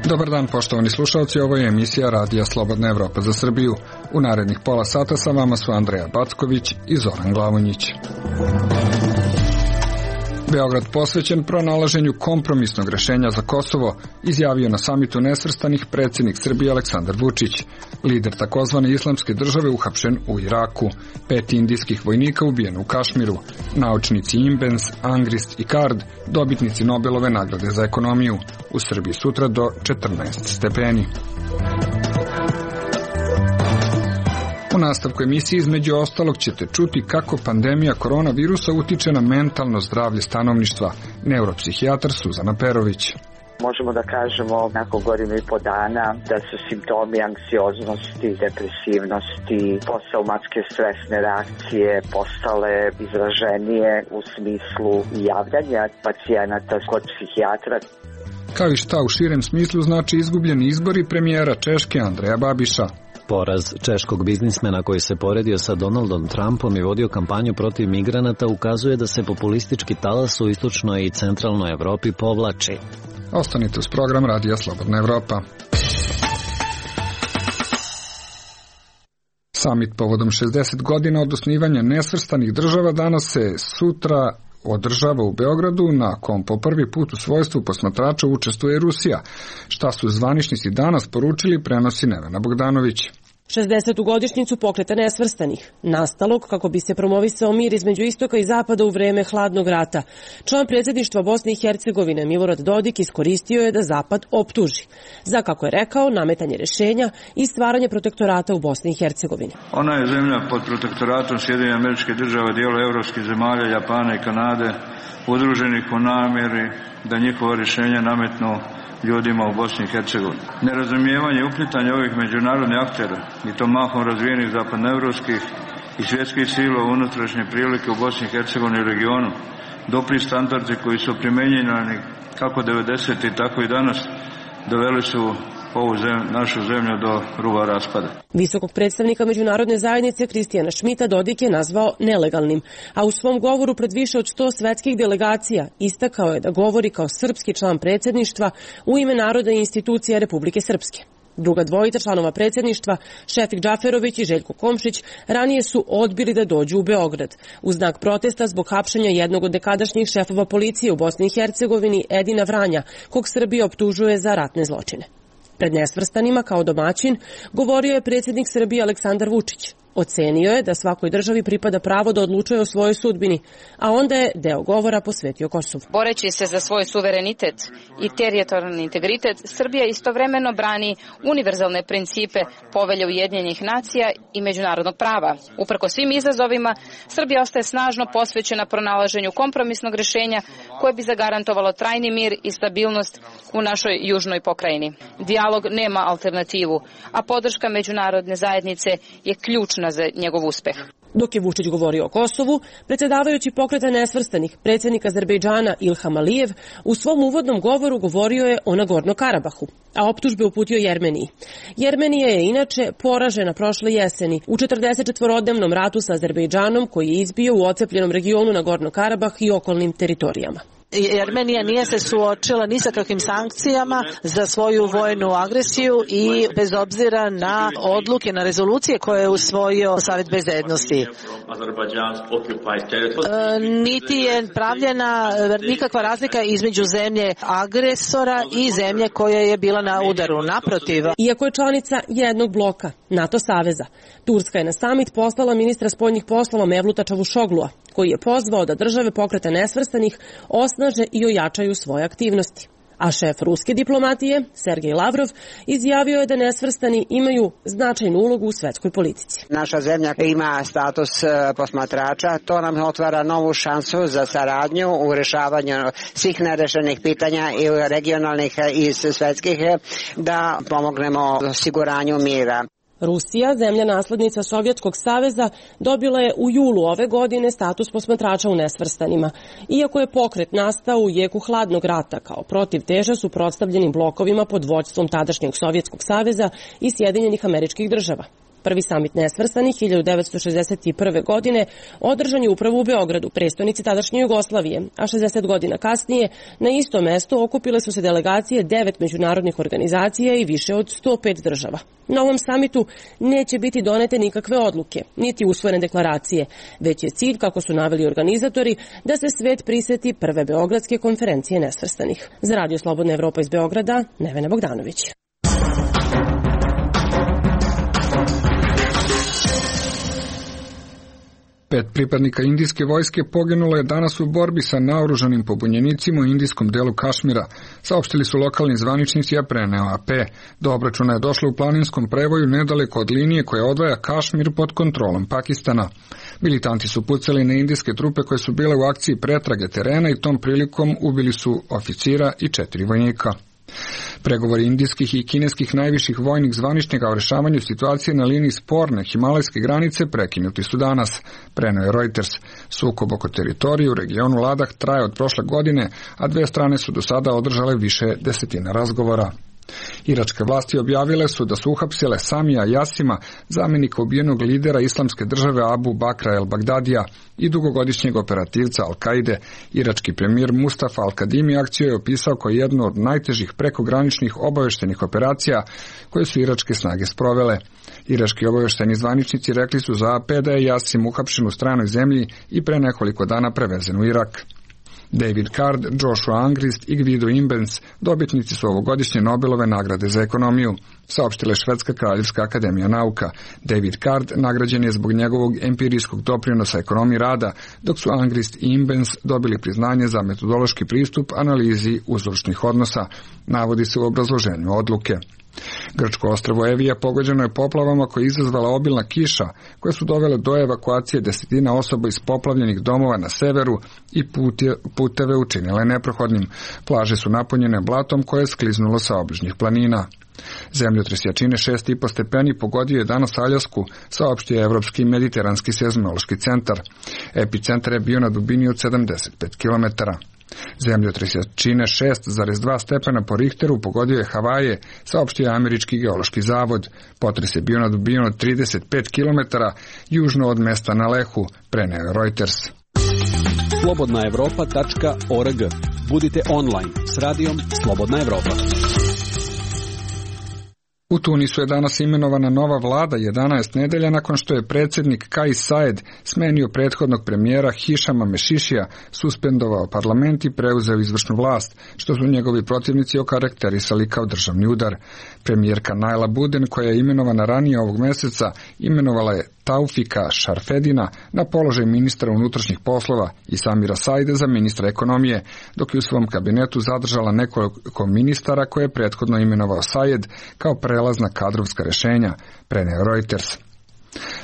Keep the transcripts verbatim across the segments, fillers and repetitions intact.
Dobar dan, poštovani slušalci, ovo je emisija Radija Slobodna Evropa za Srbiju. U narednih pola sata sa vama su Andreja Backović i Zoran Glavonjić. Beograd posvećen pronalaženju kompromisnog rešenja za Kosovo, izjavio na samitu nesvrstanih predsjednik Srbije Aleksandar Vučić. Lider takozvane islamske države uhapšen u Iraku. Pet indijskih vojnika ubijeno u Kašmiru. Naučnici Imbens, Angrist i Card, dobitnici Nobelove nagrade za ekonomiju. U Srbiji sutra do četrnaest stepeni. U nastavku emisije između ostalog ćete čuti kako pandemija koronavirusa utiče na mentalno zdravlje stanovništva. Neuropsihijatar Suzana Perović. Možemo da kažemo nakon godinu i po dana da su simptomi anksioznosti, depresivnosti, posttraumatske stresne reakcije postale izraženije u smislu javljanja pacijenata kod psihijatra. Kao i šta u širem smislu znači izgubljeni izbori premijera Češke Andreja Babiša. Poraz češkog biznismena koji se poredio sa Donaldom Trumpom i vodio kampanju protiv migranata ukazuje da se populistički talas u istočnoj i centralnoj Evropi povlači. Ostanite uz program Radija Slobodna Evropa. Samit povodom šezdeset godina od osnivanja nesvrstanih država danas se sutra održava u Beogradu, na kom po prvi put u svojstvu posmatrača učestvuje Rusija. Šta su zvaničnici danas poručili, prenosi Nevena Bogdanović. šezdesetu godišnjicu Pokreta nesvrstanih, nastalog kako bi se promovisao mir između istoka i zapada u vreme hladnog rata. Član predsjedništva Bosne i Hercegovine Milorad Dodik iskoristio je da zapad optuži za, kako je rekao, nametanje rešenja i stvaranje protektorata u Bosni i Hercegovini. Ona je zemlja pod protektoratom Sjedinjenih Američkih Država, dijela evropskih zemalja, Japana i Kanade, udruženih u namjeri da njihova rješenja nametnu ljudima u Bosni i Hercegovini. Nerazumijevanje i uplitanje ovih međunarodnih aktera, i to mahom razvijenih zapadnoevropskih i svjetskih sila u unutrašnje prilike u Bosni i Hercegovini i regionu, dopri standardi koji su primjenjeni kako devedesetih tako i danas, doveli su ovu zemlju, našu zemlju do ruba raspada. Visokog predstavnika međunarodne zajednice Kristijana Šmita Dodik je nazvao nelegalnim, a u svom govoru pred više od sto svetskih delegacija istakao je da govori kao srpski član predsjedništva u ime naroda i institucija Republike Srpske. Druga dvojica članova predsjedništva, Šefik Džaferović i Željko Komšić, ranije su odbili da dođu u Beograd u znak protesta zbog hapšenja jednog od nekadašnjih šefova policije u Bosni i Hercegovini, Edina Vranja, kog Srbija optužuje za ratne zločine. Pred nesvrstanima kao domaćin govorio je predsjednik Srbije Aleksandar Vučić. Ocenio je da svakoj državi pripada pravo da odlučuje o svojoj sudbini, a onda je deo govora posvetio Kosovu. Boreći se za svoj suverenitet i teritorijalni integritet, Srbija istovremeno brani univerzalne principe Povelje Ujedinjenih nacija i međunarodnog prava. Uprkos svim izazovima, Srbija ostaje snažno posvećena pronalaženju kompromisnog rješenja koje bi zagarantovalo trajni mir i stabilnost u našoj južnoj pokrajini. Dijalog nema alternativu, a podrška međunarodne zajednice je ključna za njegov uspeh. Dok je Vučić govorio o Kosovu, predsjedavajući Pokreta nesvrstanih, predsjednik Azerbejdžana Ilham Alijev u svom uvodnom govoru govorio je o Nagorno-Karabahu, a optužbe uputio Jermeniji. Jermenija je inače poražena prošle jeseni u četrdesetčetvorodnevnom ratu sa Azerbejdžanom koji je izbio u ocepljenom regionu Nagorno-Karabah i okolnim teritorijama. Jermenija nije se suočila ni sa kakvim sankcijama za svoju vojnu agresiju i bez obzira na odluke, na rezolucije koje je usvojio Savet bezbednosti. E, niti je pravljena nikakva razlika između zemlje agresora i zemlje koja je bila na udaru. Naprotiv. Iako je članica jednog bloka, NATO saveza, Turska je na samit poslala ministra spoljnih poslova Mevluta Čavušoglua, koji je pozvao da države Pokreta nesvrstanih osnaže i ojačaju svoje aktivnosti. A šef ruske diplomatije, Sergej Lavrov, izjavio je da nesvrstani imaju značajnu ulogu u svetskoj politici. Naša zemlja ima status posmatrača, to nam otvara novu šansu za saradnju u rešavanju svih nerešenih pitanja i regionalnih i svetskih, da pomognemo osiguranju mira. Rusija, zemlja naslednica Sovjetskog saveza, dobila je u julu ove godine status posmatrača u nesvrstanima, iako je pokret nastao u jeku hladnog rata kao protivteža suprotstavljenim blokovima pod vođstvom tadašnjeg Sovjetskog saveza i Sjedinjenih Američkih Država. Prvi samit nesvrstanih hiljadu devetsto šezdeset prve. godine održan je upravo u Beogradu, prestonici tadašnje Jugoslavije, a šezdeset godina kasnije na isto mesto okupile su se delegacije devet međunarodnih organizacija i više od sto pet država. Na ovom samitu neće biti donete nikakve odluke, niti usvojene deklaracije, već je cilj, kako su naveli organizatori, da se svet priseti prve Beogradske konferencije nesvrstanih. Za Radio Slobodna Evropa iz Beograda, Nevena Bogdanović. Pet pripadnika indijske vojske poginulo je danas u borbi sa naoružanim pobunjenicima u indijskom delu Kašmira, saopštili su lokalni zvaničnici, a preneo A P. Do obračuna je došlo u planinskom prevoju nedaleko od linije koja odvaja Kašmir pod kontrolom Pakistana. Militanti su pucali na indijske trupe koje su bile u akciji pretrage terena i tom prilikom ubili su oficira i četiri vojnika. Pregovori indijskih i kineskih najviših vojnih zvaničnika o rešavanju situacije na liniji sporne himalajske granice prekinuti su danas, preneo je Reuters. Sukob oko teritorije u regionu Ladah traje od prošle godine, a dve strane su do sada održale više desetina razgovora. Iračke vlasti objavile su da su uhapsile Samija Jasima, zamjenika ubijenog lidera islamske države Abu Bakra el-Bagdadija i dugogodišnjeg operativca Al-Kaide. Irački premijer Mustafa Al-Kadimi akciju je opisao kao jednu od najtežih prekograničnih obaveštenih operacija koje su iračke snage sprovele. Irački obavešteni zvaničnici rekli su za A P da je Jasim uhapšen u stranoj zemlji i pre nekoliko dana prevezen u Irak. David Card, Joshua Angrist i Guido Imbens, dobitnici su ovogodišnje Nobelove nagrade za ekonomiju, saopštila je Švedska kraljevska akademija nauka. David Card nagrađen je zbog njegovog empirijskog doprinosa ekonomiji rada, dok su Angrist i Imbens dobili priznanje za metodološki pristup analizi uzročnih odnosa, navodi se u obrazloženju odluke. Grčko ostrvo Evija pogođeno je poplavama koje je izazvala obilna kiša, koje su dovele do evakuacije desetina osoba iz poplavljenih domova na severu i puteve učinile neprohodnim. Plaže su napunjene blatom koje je skliznulo sa obližnjih planina. Zemljotres jačine šest i po stepeni pogodio je danas Aljasku, saopštio je Evropski mediteranski seizmološki centar. Epicentar je bio na dubini od sedamdeset pet kilometara. Zemljotres jačine šest zarez dva stepena po Richteru pogodio je Havaje, saopštio je Američki geološki zavod. Potres je bio na dubinu od trideset pet kilometara južno od mesta na Lehu, preneo je Reuters. slobodna evropa tačka org. Budite online s radijom Slobodna Evropa. U Tunisu je danas imenovana nova vlada jedanaest nedelja nakon što je predsjednik Kais Saied smenio prethodnog premijera Hišama Mešišija, suspendovao parlament i preuzeo izvršnu vlast, što su njegovi protivnici okarakterisali kao državni udar. Premijerka Naila Buden, koja je imenovana ranije ovog meseca, imenovala je Taufika Šarfedina na položaj ministra unutrašnjih poslova i Samira Saide za ministra ekonomije, dok je u svom kabinetu zadržala nekoliko ministara koje je prethodno imenovao Said kao prelazna kadrovska rešenja, preneo Reuters.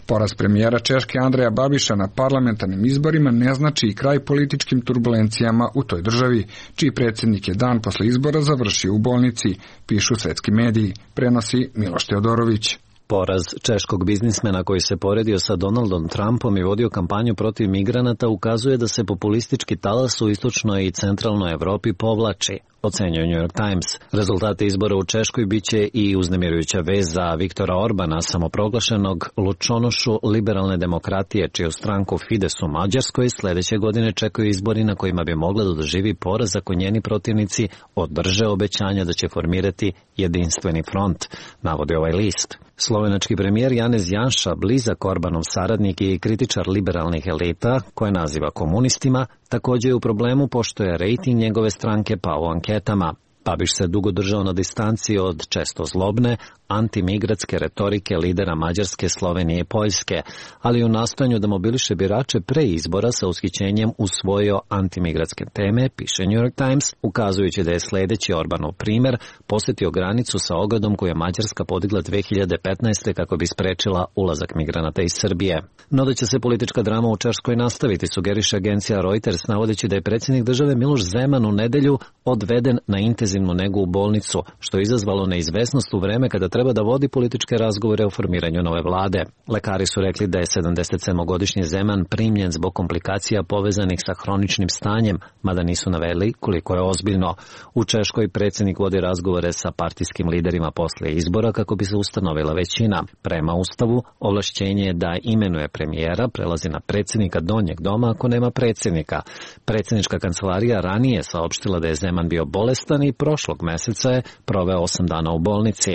Poraz premijera Češke Andreja Babiša na parlamentarnim izborima ne znači i kraj političkim turbulencijama u toj državi, čiji predsjednik je dan posle izbora završio u bolnici, pišu svetski mediji, prenosi Miloš Teodorović. Poraz češkog biznismena koji se poredio sa Donaldom Trumpom i vodio kampanju protiv migranata ukazuje da se populistički talas u istočnoj i centralnoj Evropi povlači, ocenjuje New York Times. Rezultati izbora u Češkoj biće i uznemirujuća vez za Viktora Orbana, samoproglašenog lučonošu liberalne demokratije, čiju stranku Fides u Mađarskoj sledeće godine čekaju izbori na kojima bi mogla da doživi poraz ako njeni protivnici održe obećanja da će formirati jedinstveni front, navodi ovaj list. Slovenački premijer Janez Janša, blizak Orbanov saradnik i kritičar liberalnih elita, koje naziva komunistima, također je u problemu pošto je rejting njegove stranke pao u anketama. Babiš se dugo držao na distanci od često zlobne, antimigratske retorike lidera Mađarske, Slovenije i Poljske, ali u nastojanju da mobiliše birače pre izbora sa ushićenjem usvojio antimigratske teme, piše New York Times, ukazujući da je sledeći Orbanov primer posjetio granicu sa ogradom koju je Mađarska podigla dve hiljade petnaeste kako bi sprečila ulazak migranata iz Srbije. No da će se politička drama u Češkoj nastaviti, sugeriše agencija Reuters, navodeći da je predsjednik države Miloš Zeman u nedelju odveden na intenzivnu intenzivnu negu u bolnicu, što je izazvalo neizvesnost u vreme kada treba da vodi političke razgovore o formiranju nove vlade. Lekari su rekli da je sedamdesetsedmogodišnji Zeman primljen zbog komplikacija povezanih sa hroničnim stanjem, mada nisu naveli koliko je ozbiljno. U Češkoj predsjednik vodi razgovore sa partijskim liderima posle izbora kako bi se ustanovila većina. Prema Ustavu, ovlašćenje da imenuje premijera prelazi na predsjednika donjeg doma ako nema predsjednika. Predsjednička kancelarija ranije saopštila da je Zeman bio bolestan i prošlog meseca je proveo osam dana u bolnici.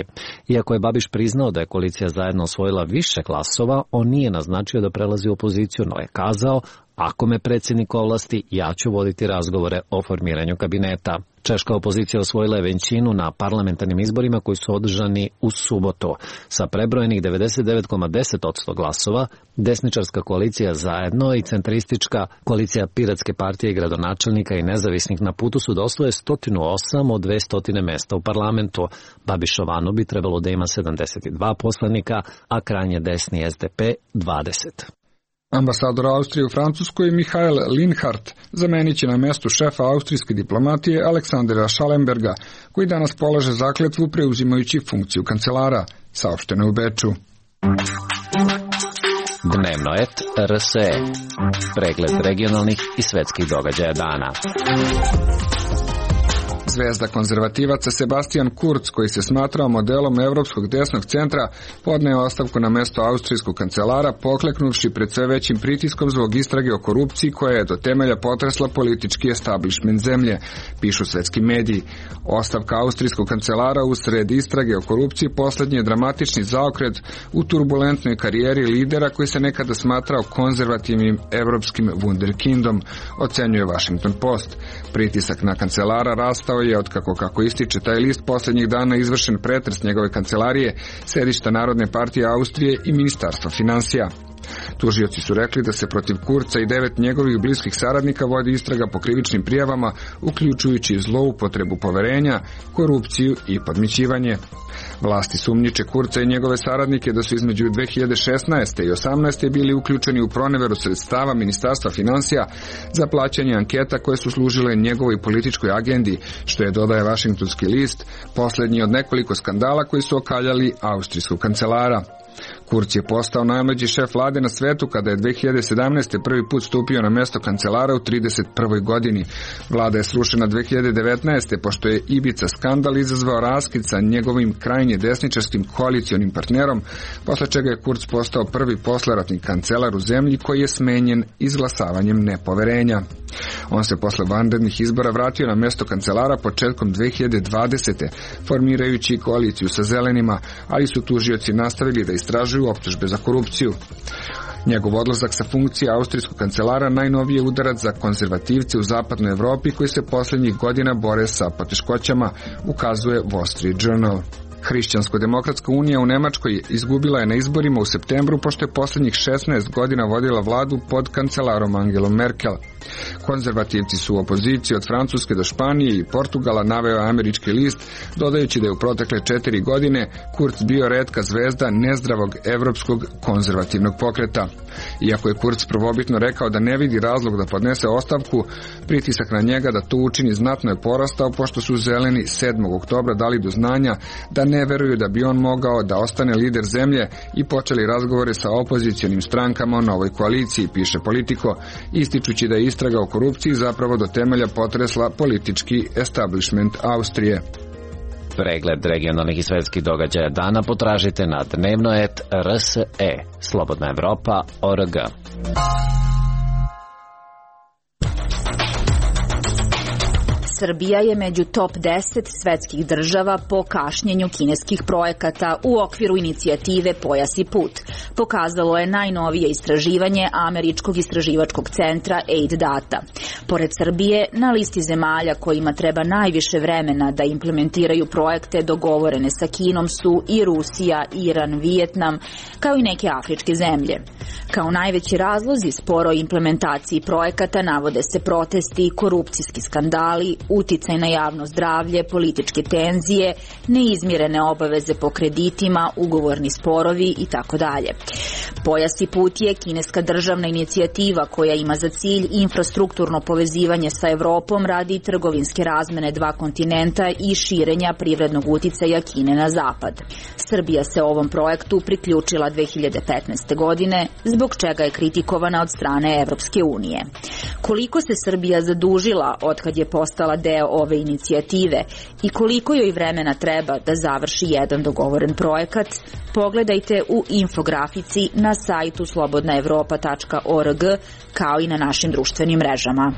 Iako je Babiš priznao da je koalicija zajedno osvojila više glasova, on nije naznačio da prelazi u opoziciju, no je kazao: ako me predsjednik ovlasti, ja ću voditi razgovore o formiranju kabineta. Češka opozicija osvojila je većinu na parlamentarnim izborima koji su održani u subotu. Sa prebrojenih devedeset devet zarez deset posto glasova, desničarska koalicija Zajedno i centristička koalicija Piratske partije i gradonačelnika i nezavisnih na putu su da osvoje sto osam od dvesta mesta u parlamentu. Babišovanu bi trebalo da ima sedamdeset dva poslanika, a krajnje desni S D P dvadeset. Ambasador Austrije u Francuskoj Michael Linhart zamenit će na mestu šefa austrijske diplomatije Aleksandra Schallenberga, koji danas polaže zakletvu preuzimajući funkciju kancelara, saopšteno u Beču. Dnevno et R S E. Pregled regionalnih i svetskih događaja dana. Zvezda konzervativaca Sebastian Kurz, koji se smatrao modelom evropskog desnog centra, podneo ostavku na mesto austrijskog kancelara, pokleknuvši pred sve većim pritiskom zbog istrage o korupciji koja je do temelja potresla politički establishment zemlje, pišu svetski mediji. Ostavka austrijskog kancelara usred istrage o korupciji poslednji je dramatični zaokret u turbulentnoj karijeri lidera koji se nekada smatrao konzervativnim evropskim wunderkindom, ocenjuje Washington Post. Pritisak na kancelara rastao je otkako, kako ističe taj list, posljednjih dana izvršen pretres njegove kancelarije, sedišta Narodne partije Austrije i Ministarstva finansija. Tužioci su rekli da se protiv Kurca i devet njegovih bliskih saradnika vodi istraga po krivičnim prijavama, uključujući zloupotrebu poverenja, korupciju i podmićivanje. Vlasti sumnjiče Kurca i njegove saradnike da su između dve hiljade šesnaeste i osamnaeste bili uključeni u proneveru sredstava Ministarstva finansija za plaćanje anketa koje su služile njegovoj političkoj agendi, što je, dodaje Washingtonski list, posljednji od nekoliko skandala koji su okaljali austrijskog kancelara. Kurz je postao najmlađi šef vlade na svetu kada je dve hiljade sedamnaeste. prvi put stupio na mesto kancelara u trideset prvoj godini. Vlada je srušena dve hiljade devetnaeste. pošto je Ibiza skandal izazvao raskid sa njegovim krajnje desničarskim koalicionim partnerom, posle čega je Kurz postao prvi posleratni kancelar u zemlji koji je smenjen izglasavanjem nepoverenja. On se posle vanrednih izbora vratio na mesto kancelara početkom dve hiljade dvadesete. formirajući koaliciju sa zelenima, ali su tužioci nastavili da istražuju optužbe za korupciju. Njegov odlazak sa funkcije austrijskog kancelara najnoviji je udarac za konzervativce u zapadnoj Evropi koji se posljednjih godina bore sa poteškoćama, ukazuje Wall Street Journal. Hrišćansko-demokratska unija u Nemačkoj izgubila je na izborima u septembru pošto je posljednjih šesnaest godina vodila vladu pod kancelarom Angelom Merkel. Konzervativci su u opoziciji od Francuske do Španije i Portugala, naveo američki list, dodajući da je u protekle četiri godine Kurz bio retka zvezda nezdravog evropskog konzervativnog pokreta. Iako je Kurz prvobitno rekao da ne vidi razlog da podnese ostavku, pritisak na njega da to učini znatno je porastao pošto su zeleni sedmog oktobra dali do znanja da ne veruju da bi on mogao da ostane lider zemlje i počeli razgovore sa opozicionim strankama o novoj koaliciji, piše Politico, ističući da je istraga o korupciji zapravo do temelja potresla politički establishment Austrije. Pregled regionalnih i svetskih događaja dana potražite na dnevno et R S E, Slobodna Evropa, O R G. Srbija je među top deset svetskih država po kašnjenju kineskih projekata u okviru inicijative Pojas i put, pokazalo je najnovije istraživanje američkog istraživačkog centra A D Data. Pored Srbije, na listi zemalja kojima treba najviše vremena da implementiraju projekte dogovorene sa Kinom su i Rusija, Iran, Vijetnam, kao i neke afričke zemlje. Kao najveći razlozi sporoj implementaciji projekata navode se protesti, korupcijski skandali, uticaj na javno zdravlje, političke tenzije, neizmirene obaveze po kreditima, ugovorni sporovi i tako dalje. Pojas i put je kineska državna inicijativa koja ima za cilj infrastrukturno povezivanje sa Evropom radi trgovinske razmene dva kontinenta i širenja privrednog uticaja Kine na zapad. Srbija se ovom projektu priključila dve hiljade petnaeste. godine, zbog čega je kritikovana od strane Evropske unije. Koliko se Srbija zadužila otkad je postala deo ove inicijative i koliko joj vremena treba da završi jedan dogovoren projekat, pogledajte u infografici na sajtu slobodna evropa tačka org kao i na našim društvenim mrežama.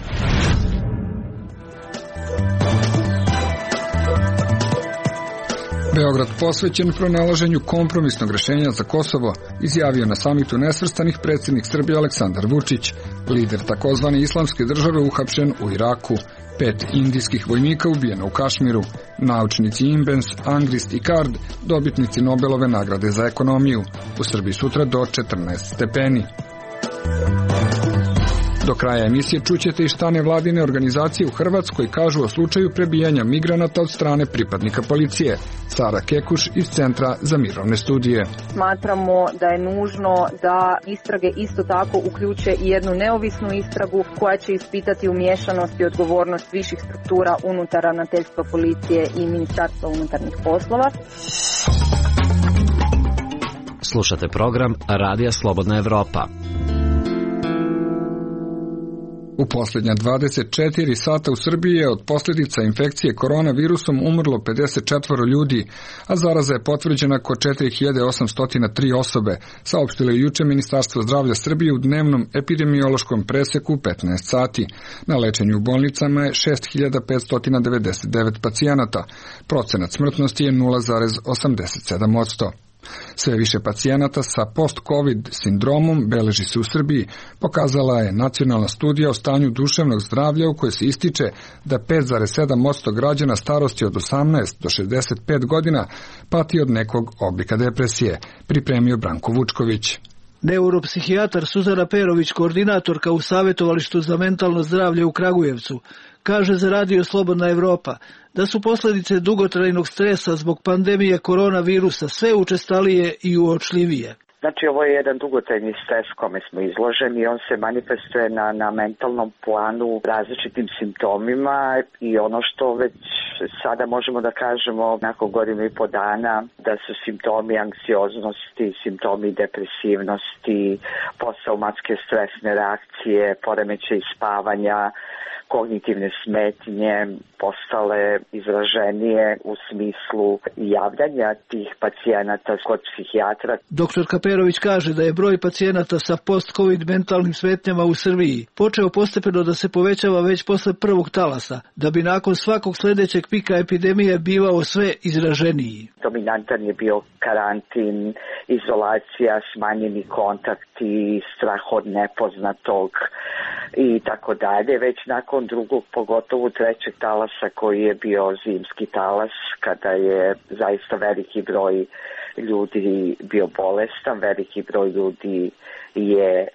Beograd posvećen pronalaženju kompromisnog rešenja za Kosovo izjavio na samitu nesvrstanih predsjednik Srbije Aleksandar Vučić. Lider takozvane islamske države uhapšen u Iraku. Pet indijskih vojnika ubijeno u Kašmiru. Naučnici Imbens, Angrist i Kard, dobitnici Nobelove nagrade za ekonomiju. U Srbiji sutra do četrnaest stepeni. Do kraja emisije čućete i šta nevladine organizacije u Hrvatskoj kažu o slučaju prebijanja migranata od strane pripadnika policije. Sara Kekuš iz Centra za mirovne studije. Smatramo da je nužno da istrage isto tako uključe i jednu neovisnu istragu koja će ispitati umiješanost i odgovornost viših struktura unutar ravnateljstva policije i Ministarstva unutarnjih poslova. Slušate program Radija Slobodna Evropa. U posljednja dvadeset četiri sata u Srbiji je od posljedica infekcije koronavirusom umrlo pedeset četiri ljudi, a zaraza je potvrđena kod četiri hiljade osamsto tri osobe, saopštilo je juče Ministarstvo zdravlja Srbije u dnevnom epidemiološkom preseku petnaest sati. Na lečenju u bolnicama je šest hiljada petsto devedeset devet pacijenata. Procenat smrtnosti je nula zarez osamdeset sedam posto. Sve više pacijenata sa post-covid sindromom beleži se u Srbiji, pokazala je nacionalna studija o stanju duševnog zdravlja u kojoj se ističe da pet zarez sedam posto građana starosti od osamnaest do šezdeset pet godina pati od nekog oblika depresije, pripremio Branko Vučković. Neuropsihijatar Suzana Perović, koordinatorka u Savjetovalištu za mentalno zdravlje u Kragujevcu, kaže za Radio Slobodna Evropa da su posljedice dugotrajnog stresa zbog pandemije koronavirusa sve učestalije i uočljivije. Znači, ovo je jedan dugotrajni stres kome smo izloženi i on se manifestuje na, na mentalnom planu različitim simptomima i ono što već sada možemo da kažemo nakon godinu i po dana da su simptomi anksioznosti, simptomi depresivnosti, posttraumatske stresne reakcije, poremećaj spavanja, kognitivne smetnje postale izraženije u smislu javljanja tih pacijenata kod psihijatra. Doktor Kaperović kaže da je broj pacijenata sa post-covid mentalnim smetnjama u Srbiji počeo postepeno da se povećava već posle prvog talasa, da bi nakon svakog sljedećeg pika epidemije bivao sve izraženiji. Dominantan je bio karantin, izolacija, smanjeni kontakti, strah od nepoznatog i tako dalje. Već nakon drugog, pogotovo trećeg talasa koji je bio zimski talas, kada je zaista veliki broj ljudi bio bolestan, veliki broj ljudi je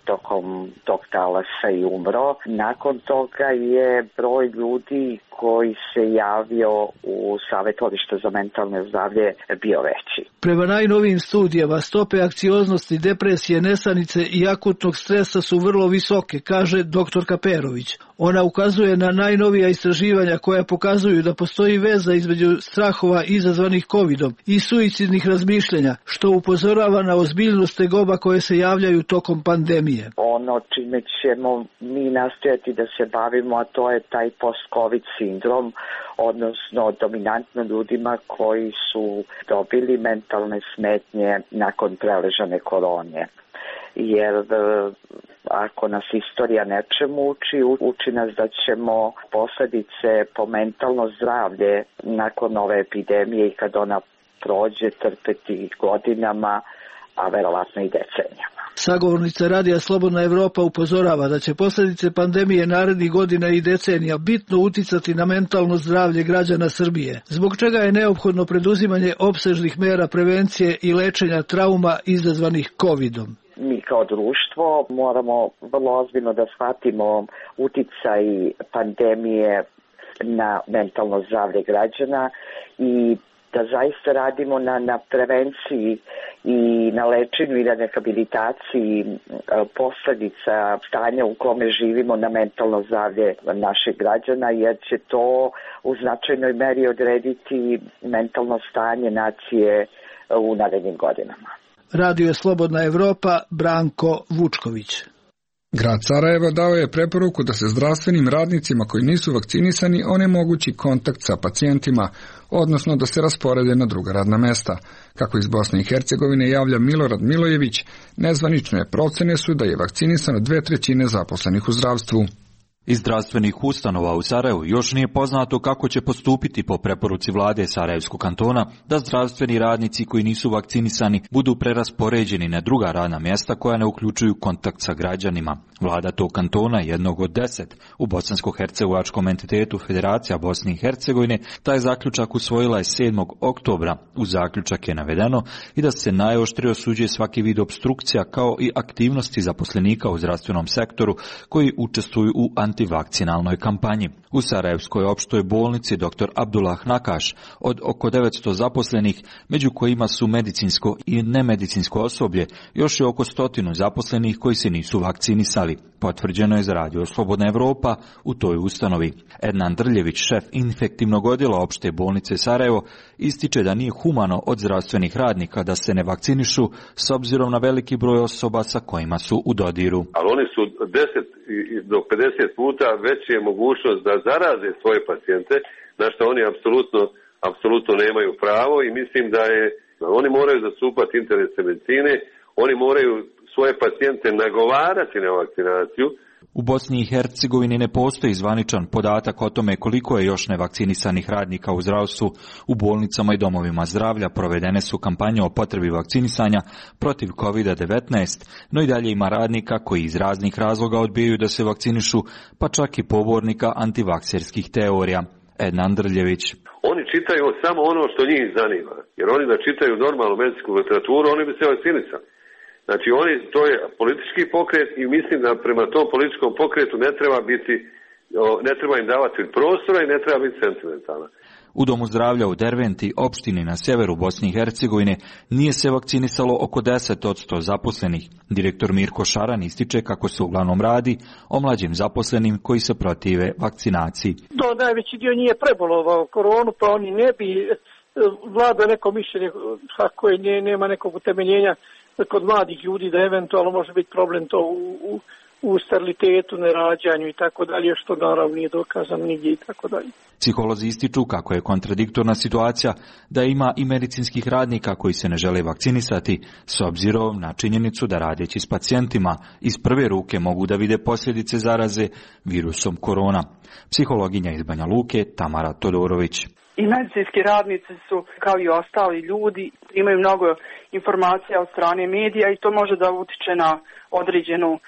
tokom tog talasa i umro. Nakon toga je broj ljudi koji se javio u Savjetovalište za mentalno zdravlje bio veći. Prema najnovijim studijama stope anksioznosti, depresije, nesanice i akutnog stresa su vrlo visoke, kaže doktor Kaperović. Ona ukazuje na najnovija istraživanja koja pokazuju da postoji veza između strahova izazvanih covidom i suicidnih razmišljanja, što upozorava na ozbiljnost tegoba koje se javljaju tokom pandemije. Ono čime ćemo mi nastojati da se bavimo, a to je taj post-covid sindrom, odnosno dominantno ljudima koji su dobili mentalne smetnje nakon preležane korone. Jer ako nas istorija nečemu uči, uči nas da ćemo posljedice po mentalno zdravlje nakon ove epidemije i kad ona prođe trpeti godinama, a verovatno i decenijama. Sagovornica Radija Slobodna Evropa upozorava da će posljedice pandemije narednih godina i decenija bitno uticati na mentalno zdravlje građana Srbije, zbog čega je neophodno preduzimanje opsežnih mera prevencije i lečenja trauma izazvanih covidom. Mi kao društvo moramo vrlo ozbiljno da shvatimo uticaj pandemije na mentalno zdravlje građana i da zaista radimo na, na prevenciji i na lečenju i na rehabilitaciji posljedica stanja u kome živimo na mentalno zdravlje naših građana, jer će to u značajnoj meri odrediti mentalno stanje nacije u narednim godinama. Radio je Slobodna Evropa, Branko Vučković. Grad Sarajevo dao je preporuku da se zdravstvenim radnicima koji nisu vakcinisani onemogući kontakt sa pacijentima, odnosno da se rasporede na druga radna mesta. Kako iz Bosne i Hercegovine javlja Milorad Milojević, nezvanične procene su da je vakcinisano dve trećine zaposlenih u zdravstvu. Iz zdravstvenih ustanova u Sarajevu još nije poznato kako će postupiti po preporuci vlade Sarajevskog kantona da zdravstveni radnici koji nisu vakcinisani budu preraspoređeni na druga radna mjesta koja ne uključuju kontakt sa građanima. Vlada tog kantona, jednog od deset u bosansko-hercegovačkom entitetu Federacija Bosne i Hercegovine, taj zaključak usvojila je sedmog oktobra. U zaključak je navedeno i da se najoštrije osuđuje svaki vid opstrukcija kao i aktivnosti zaposlenika u zdravstvenom sektoru koji učestvuju u antivakcinalnoj kampanji. U Sarajevskoj opštoj bolnici dr Abdullah Nakaš od oko devetsto zaposlenih, među kojima su medicinsko i nemedicinsko osoblje, još je oko stotinu zaposlenih koji se nisu vakcinisali. Potvrđeno je za Radio Slobodna Evropa u toj ustanovi. Ednan Drljević, šef infektivnog odjela opšte bolnice Sarajevo, ističe da nije humano od zdravstvenih radnika da se ne vakcinišu s obzirom na veliki broj osoba sa kojima su u dodiru. Ali oni su deset do pedeset puta veća je mogućnost da zaraze svoje pacijente, na što oni apsolutno, apsolutno nemaju pravo i mislim da je, oni moraju zastupati interese medicine, oni moraju svoje pacijente nagovarati na vakcinaciju. U Bosni i Hercegovini ne postoji zvaničan podatak o tome koliko je još nevakcinisanih radnika u zdravstvu. U bolnicama i domovima zdravlja provedene su kampanje o potrebi vakcinisanja protiv kovid devetnaest, no i dalje ima radnika koji iz raznih razloga odbijaju da se vakcinišu, pa čak i pobornika antivakserskih teorija. Ednan Drljević. Oni čitaju samo ono što njih zanima, jer oni da čitaju normalnu medicinsku literaturu, oni bi se vakcinisali. Znači, oni, to je politički pokret i mislim da prema tom političkom pokretu ne treba biti, ne treba im davati prostora i ne treba biti sentimentalna. U Domu zdravlja u Derventi, opštini na sjeveru Bosne i Hercegovine, nije se vakcinisalo oko deset posto zaposlenih. Direktor Mirko Šaran ističe kako se uglavnom radi o mlađim zaposlenim koji se protive vakcinaciji. Do, najveći dio nije prebolovao koronu, pa oni ne bi vlada neko mišljenje kako je, ne, nema nekog utemeljenja kod mladih ljudi da eventualno može biti problem to u, u, u sterilitetu, nerađanju i tako dalje, što naravno nije dokazano nigdje i tako dalje. Psiholozi ističu kako je kontradiktorna situacija da ima i medicinskih radnika koji se ne žele vakcinisati s obzirom na činjenicu da radeći s pacijentima iz prve ruke mogu da vide posljedice zaraze virusom korona. Psihologinja iz Banja Luke Tamara Todorović. I medicinski radnici su, kao i ostali ljudi, imaju mnogo informacija od strane medija i to može da utiče na određenu e,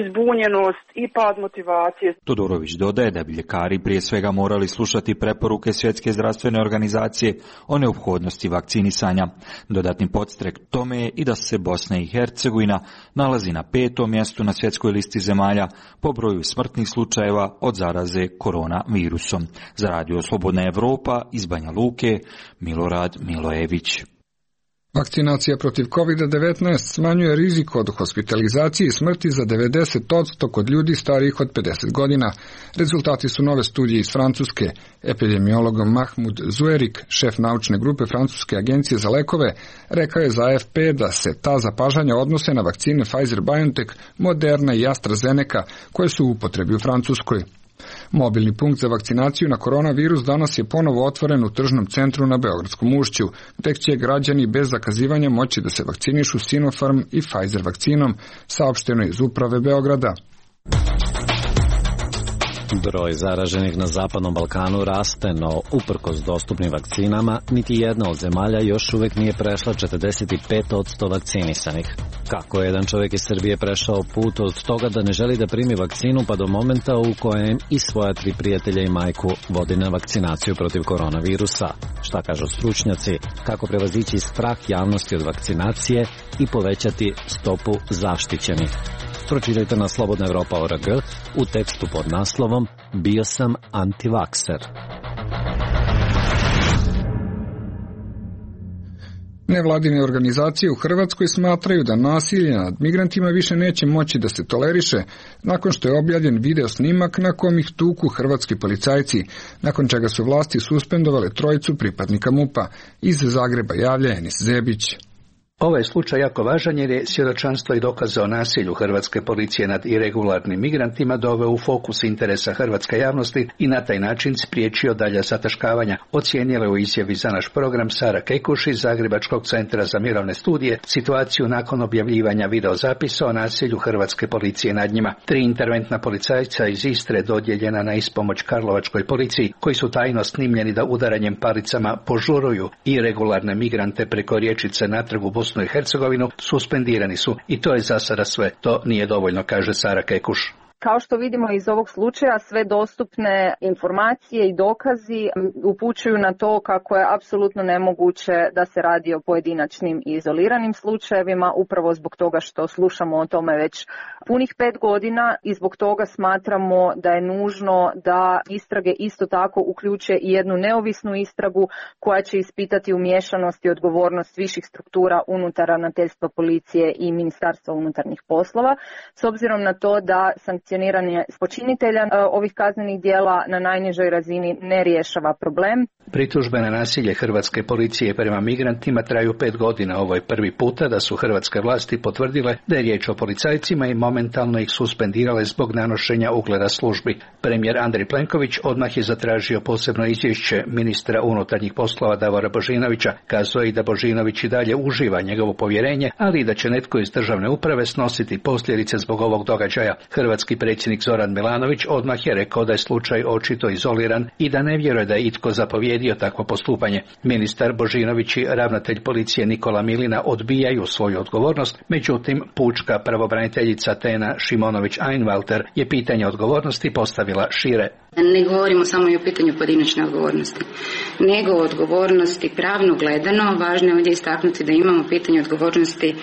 izbunjenost i pad motivacije. Todorović dodaje da bi ljekari prije svega morali slušati preporuke Svjetske zdravstvene organizacije o neophodnosti vakcinisanja. Dodatni podstrek tome je i da se Bosna i Hercegovina nalazi na petom mjestu na svjetskoj listi zemalja po broju smrtnih slučajeva od zaraze koronavirusom. Za Radio Slobodna Evropa iz Banja Luke, Milorad Milojević. Vakcinacija protiv kovid devetnaest smanjuje rizik od hospitalizacije i smrti za devedeset posto kod ljudi starijih od pedeset godina. Rezultati su nove studije iz Francuske. Epidemiolog Mahmoud Zuerik, šef naučne grupe Francuske agencije za lekove, rekao je za A F P da se ta zapažanja odnose na vakcine Pfizer-BioNTech, Moderna i AstraZeneca, koje su u upotrebi u Francuskoj. Mobilni punkt za vakcinaciju na koronavirus danas je ponovo otvoren u tržnom centru na Beogradskom ušću, gdje će građani bez zakazivanja moći da se vakcinišu Sinopharm i Pfizer vakcinom, saopšteno iz uprave Beograda. Broj zaraženih na Zapadnom Balkanu raste, no uprkos dostupnim vakcinama, niti jedna od zemalja još uvijek nije prešla četrdeset pet posto vakcinisanih. Kako je jedan čovjek iz Srbije prešao put od toga da ne želi da primi vakcinu pa do momenta u kojem i svoja tri prijatelja i majku vodi na vakcinaciju protiv koronavirusa? Šta kažu stručnjaci? Kako prevazići strah javnosti od vakcinacije i povećati stopu zaštićenih? Pročitajte na slobodna evropa tačka org u tekstu pod naslovom Bio sam antivakser. Nevladine organizacije u Hrvatskoj smatraju da nasilje nad migrantima više neće moći da se toleriše nakon što je objavljen video snimak na kom ih tuku hrvatski policajci, nakon čega su vlasti suspendovale trojicu pripadnika MUP-a. Iz Zagreba javlja Enis Zebić. Ovaj slučaj jako važan jer je svjedočanstvo i dokaze o nasilju hrvatske policije nad irregularnim migrantima doveo u fokus interesa hrvatske javnosti i na taj način spriječio dalja zataškavanja, ocijenila u izjavi za naš program Sara Kekuš iz Zagrebačkog centra za mirovne studije situaciju nakon objavljivanja videozapisa o nasilju hrvatske policije nad njima. Tri interventna policajca iz Istre dodijeljena na ispomoć karlovačkoj policiji, koji su tajno snimljeni da udaranjem palicama požuruju irregularne migrante preko riječice natrag u Bosnu i Hercegovinu, suspendirani su i to je za sada sve. To nije dovoljno, kaže Sara Kekuš. Kao što vidimo iz ovog slučaja, sve dostupne informacije i dokazi upućuju na to kako je apsolutno nemoguće da se radi o pojedinačnim i izoliranim slučajevima, upravo zbog toga što slušamo o tome već punih pet godina i zbog toga smatramo da je nužno da istrage isto tako uključe i jednu neovisnu istragu koja će ispitati umiješanost i odgovornost viših struktura unutar ravnateljstva policije i Ministarstva unutarnjih poslova, s obzirom na to da sankcioniranje počinitelja ovih kaznenih djela na najnižoj razini ne rješava problem. Pritužbe na nasilje hrvatske policije prema migrantima traju pet godina. Ovo je prvi puta da su hrvatske vlasti potvrdile da je riječ o policajcima i momentalno ih suspendirale zbog nanošenja ugleda službi. Premijer Andrej Plenković odmah je zatražio posebno izvješće ministra unutarnjih poslova Davora Božinovića. Kazao je i da Božinović i dalje uživa njegovo povjerenje, ali i da će netko iz državne uprave snositi posljedice zbog ovog događaja. Hrvatski predsjednik Zoran Milanović odmah je rekao da je slučaj očito izoliran i da ne vjeruje da je itko zapovjedio takvo postupanje. Ministar Božinović i ravnatelj policije Nikola Milina odbijaju svoju odgovornost, međutim pučka pravobraniteljica Tena Šimonović-Einwalter je pitanje odgovornosti postavila šire. Ne govorimo samo i o pitanju pojedinačne odgovornosti, nego o odgovornosti pravno gledano. Važno je ovdje istaknuti da imamo pitanje odgovornosti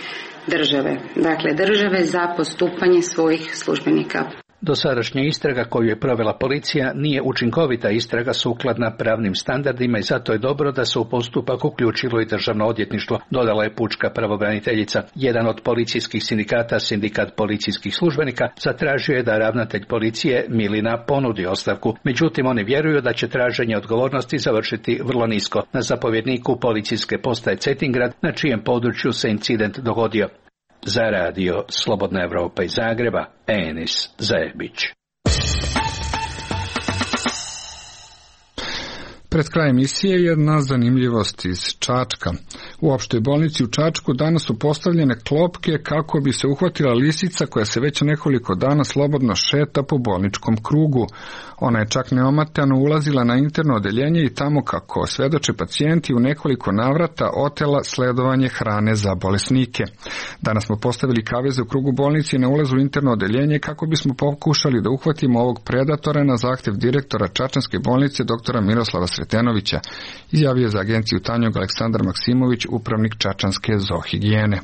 države, dakle države za postupanje svojih službenika. Dosadašnja istraga koju je provela policija nije učinkovita istraga sukladna pravnim standardima i zato je dobro da se u postupak uključilo i državno odvjetništvo, dodala je pučka pravobraniteljica. Jedan od policijskih sindikata, sindikat policijskih službenika, zatražio je da ravnatelj policije Milina ponudi ostavku. Međutim, oni vjeruju da će traženje odgovornosti završiti vrlo nisko na zapovjedniku policijske postaje Cetingrad, na čijem području se incident dogodio. Za radio Slobodna Evropa iz Zagreba, Enis Zebić. Pred kraj emisije jedna zanimljivost iz Čačka. U opštoj bolnici u Čačku danas su postavljene klopke kako bi se uhvatila lisica koja se već nekoliko dana slobodno šeta po bolničkom krugu. Ona je čak neomatano ulazila na interno odeljenje i tamo, kako svedoče pacijenti, u nekoliko navrata otela sledovanje hrane za bolesnike. Danas smo postavili kaveze u krugu bolnice i na ulazu u interno odeljenje kako bismo pokušali da uhvatimo ovog predatora na zahtjev direktora Čačanske bolnice doktora Miroslava Sretenovića, izjavio za agenciju Tanjug Aleksandar Maksimović, upravnik Čačanske zoohigijene.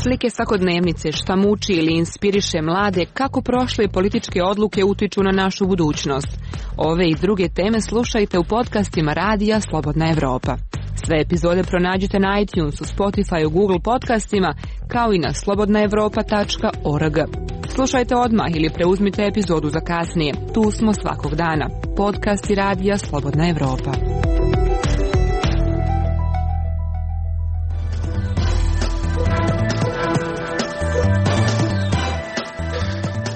Slike svakodnevnice, šta muči ili inspiriše mlade, kako prošle političke odluke utiču na našu budućnost. Ove i druge teme slušajte u podcastima Radija Slobodna Evropa. Sve epizode pronađite na iTunesu, Spotifyu, Google podcastima, kao i na slobodna evropa tačka org. Slušajte odmah ili preuzmite epizodu za kasnije. Tu smo svakog dana. Podcasti Radija Slobodna Evropa.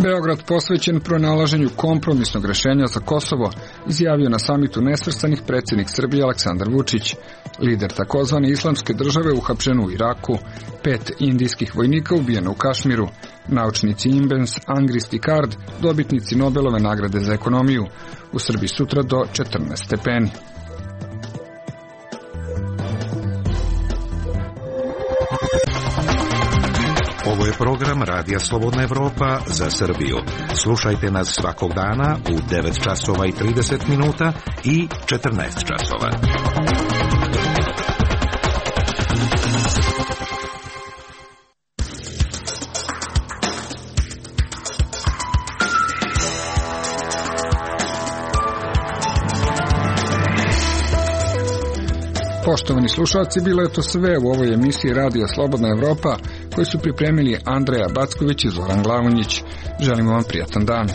Beograd posvećen pronalaženju kompromisnog rješenja za Kosovo, izjavio na samitu nesvrstanih predsjednik Srbije Aleksandar Vučić. Lider takozvane islamske države uhapšen u Iraku, pet indijskih vojnika ubijeno u Kašmiru, naučnici Imbens, Angrist i Kard, dobitnici Nobelove nagrade za ekonomiju, u Srbiji sutra do četrnaest stepeni. Ovo je program Radija Slobodna Evropa za Srbiju. Slušajte nas svakog dana u devet časova i trideset minuta i četrnaest časova. Poštovani slušalci, bilo je to sve u ovoj emisiji Radija Slobodna Evropa, koju su pripremili Andreja Backović i Zoran Glavonjić. Želimo vam prijatan dan.